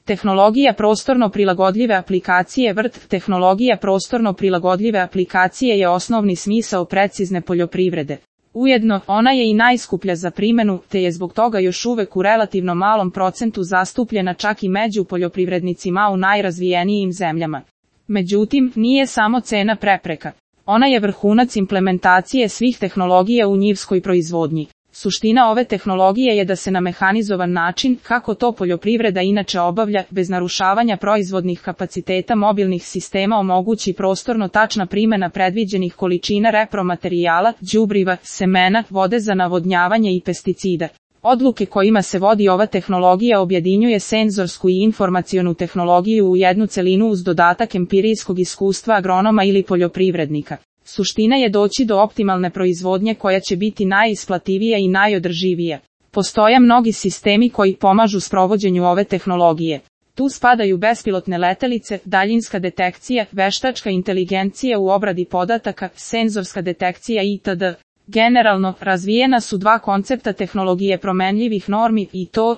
Tehnologija prostorno prilagodljive aplikacije VRT. Tehnologija prostorno prilagodljive aplikacije je osnovni smisao precizne poljoprivrede. Ujedno, ona je i najskuplja za primjenu, te je zbog toga još uvek u relativno malom procentu zastupljena čak i među poljoprivrednicima u najrazvijenijim zemljama. Međutim, nije samo cena prepreka. Ona je vrhunac implementacije svih tehnologija u njivskoj proizvodnji. Suština ove tehnologije je da se na mehanizovan način, kako to poljoprivreda inače obavlja, bez narušavanja proizvodnih kapaciteta mobilnih sistema omogući prostorno tačna primjena predviđenih količina repromaterijala, đubriva, semena, vode za navodnjavanje i pesticida. Odluke kojima se vodi ova tehnologija objedinjuje senzorsku i informacionu tehnologiju u jednu celinu uz dodatak empirijskog iskustva agronoma ili poljoprivrednika. Suština je doći do optimalne proizvodnje koja će biti najisplativija i najodrživija. Postoje mnogi sistemi koji pomažu sprovođenju ove tehnologije. Tu spadaju bespilotne letelice, daljinska detekcija, veštačka inteligencija u obradi podataka, senzorska detekcija itd. Generalno, razvijena su dva koncepta tehnologije promenljivih normi i to,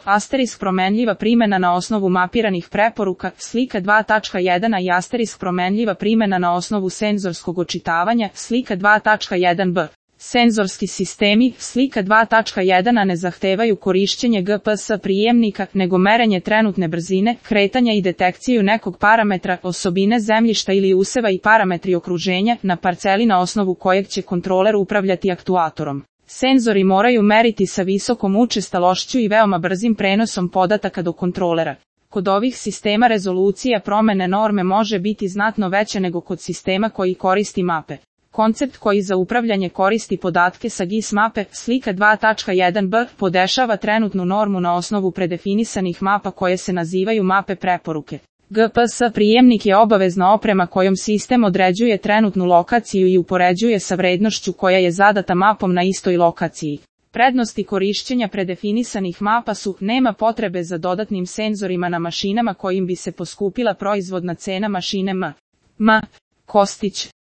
promenljiva primjena na osnovu mapiranih preporuka, slika 2.1 i promenljiva primjena na osnovu senzorskog očitavanja, slika 2.1b. Senzorski sistemi, slika 2.1 ne zahtevaju korišćenje GPS prijemnika, nego merenje trenutne brzine, kretanja i detekciju nekog parametra, osobine zemljišta ili useva i parametri okruženja, na parceli na osnovu kojeg će kontroler upravljati aktuatorom. Senzori moraju meriti sa visokom učestalošću i veoma brzim prenosom podataka do kontrolera. Kod ovih sistema rezolucija promene norme može biti znatno veća nego kod sistema koji koristi mape. Koncept koji za upravljanje koristi podatke sa GIS mape, slika 2.1b, podešava trenutnu normu na osnovu predefinisanih mapa koje se nazivaju mape preporuke. GPS prijemnik je obavezna oprema kojom sistem određuje trenutnu lokaciju i upoređuje sa vrednošću koja je zadata mapom na istoj lokaciji. Prednosti korišćenja predefinisanih mapa su, nema potrebe za dodatnim senzorima na mašinama kojim bi se poskupila proizvodna cena mašine M. Kostić.